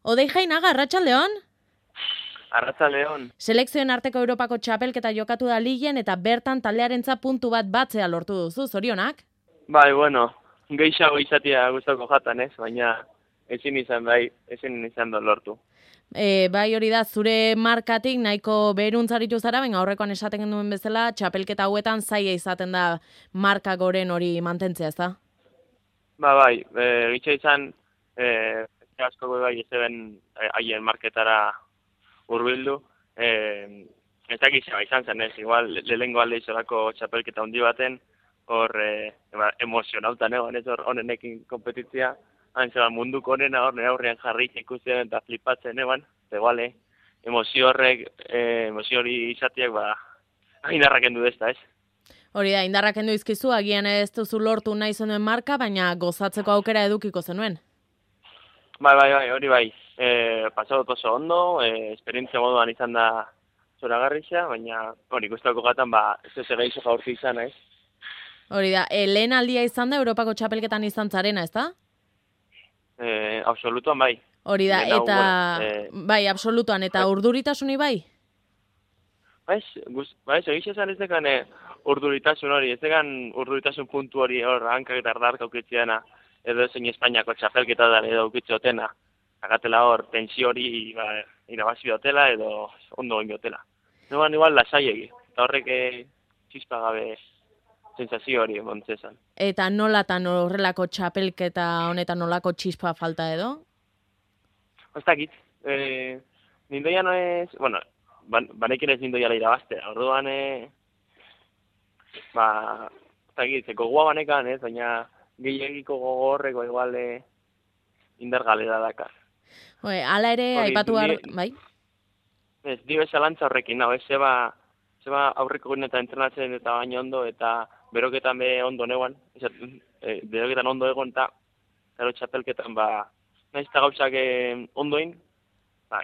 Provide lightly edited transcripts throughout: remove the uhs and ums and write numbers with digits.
Odei Jainaga, arratsaldeon? Arratsaldeon. Selekzioen arteko Europako txapelketa jokatu da ligen eta bertan taldearentza puntu bat batzea lortu duzu, zorionak? Bai, bueno, gehiago izatea gustoko jatan, ez? Baina ezin izan da lortu. Bai hori da, zure markatik nahiko beheruntzaritu zara, baina aurrekoan esaten genuen bezala, txapelketa hauetan zaila izaten da marka goren hori mantentzea, ezta? Bai, gitxa izan, asko bai ez eben haien marketara hurbildu. Ez da gizaba izan zen, ez? Igual, lehengo alde izolako txapelketa handi baten, hor emozionautan egon, ez hor honenekin kompetitzia, hain zeban munduko honena hor nire aurrean jarri ikusten eta flipatzen eban, eguale, emozio hori izateak, indarrak endu dezta, ez? Hori da, indarrak kendu izkizu, agian ez duzu lortu nahi zenuen marka, baina gozatzeko aukera edukiko zenuen. Bai, hori bai. Pasadot oso ondo, esperientzia moduan izan da zoragarria, baina hori guztako gatan ez ez egeizu jaurti izan, ez? Hori da, lehen aldia izan da Europako txapelketan izan zarena, ez da? Absolutuan bai. Hori da, Lehen hau, eta bai, absolutuan, eta urduritasuni bai? Bai, egitza esan ez dekan urduritasun hori, ez dekan urduritasun puntu hori hor hankak eta ardark aukitziana, edo zein Espainiako txapelketa da edo aukitzotena. Agatela hor, tensio hori irabazi dutela edo ondo egin dutela. Noan igual lasaiegi, eta horrek txispa gabe sensazio hori montzezan. Eta nolatan horrelako txapelketa honetan nolako txispa falta edo? Ez dakit, nindoia no ez, bueno, banekin ez nindoia irabaztea, orduan, ez dakit, gogoa banekan ez, baina gehiagiko gogo horreko igual indar galera dakar. Hala ere, aipatu bai? Ez, dio esalantza horrekin, ez zeba aurreko gunetan entrenatzen eta baina ondo, eta beroketan be ondo neuan, beroketan ondo egon, eta gero txapelketan, nahiz eta gauzak ondoin,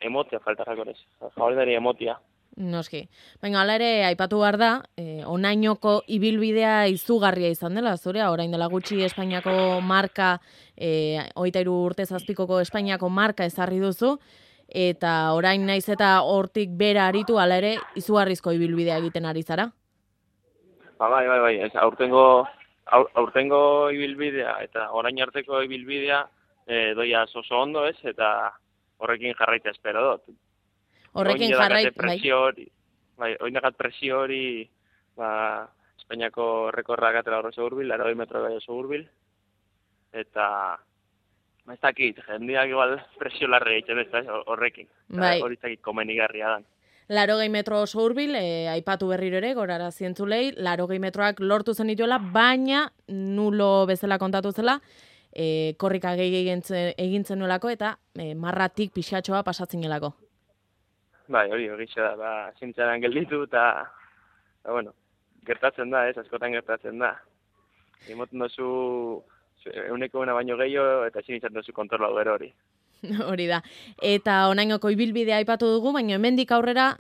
emotia faltarrako ez, jauridari emotia. Noski. Baina, hala ere, aipatu behar da, onainoko ibilbidea izugarria izan dela, zure, orain dela gutxi Espainiako marka, 23 urte zazpikoko Espainiako marka ezarri duzu, eta orain naiz eta hortik bera aritu, hala ere, izugarrizko ibilbidea egiten ari zara? Bai, ez, aurtengo ibilbidea eta orain arteko ibilbidea doia oso ondo ez, eta horrekin jarraitea espero dut. Horrekin Oinakat presio hori, Espainiako rekorra gatela oso hurbil, 80 metro gai oso hurbil, eta ez dakit, jendeak igual presio larre egiten ez horrekin, hori zakit komenigarria dan. 80 metro oso hurbil, aipatu berriro ere, gorara zientzulei, 80 metroak lortu zen dituela, baina nulo bezala kontatu zela, korrika gehi egin zenuelako eta marratik pixatxoa pasatzen gelako. Bai, hori da, zintzaran gelditu eta, bueno, gertatzen da, askotan gertatzen da. Emoten dozu, euneko una baino gehiago eta ezin izan dozu kontrola gero hori. Hori da. Eta onainoko ibilbidea aipatu dugu, baina hemendik aurrera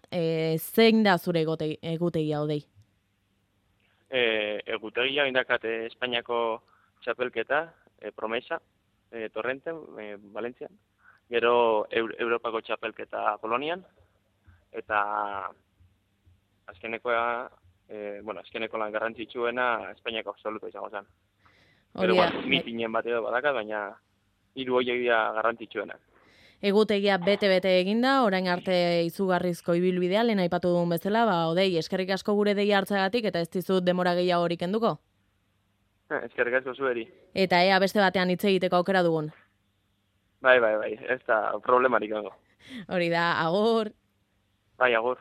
zein da zure egutegia Odei? Egutegia indakat Espainiako txapelketa, Promesa, Torrenten, Valentzian, gero Europako txapelketa Polonian, eta azkeneko lan garrantzitsuena Espainiako absoluto izango zen. Gero mitinen bat edo badakat, baina 3 horiek dira garrantzitsuenak. Egutegia bete eginda, orain arte izugarrizko ibilbidea, lehen aipatu dugun bezala, Odei, eskerrik asko gure deia hartzagatik eta ez dizut demora gehiago hori kenduko? Eskerrik asko zueri. Eta ea beste batean hitz egiteko aukera dugun? Bai, ez da problemarik dago. Hori da, agur. Bai, agur.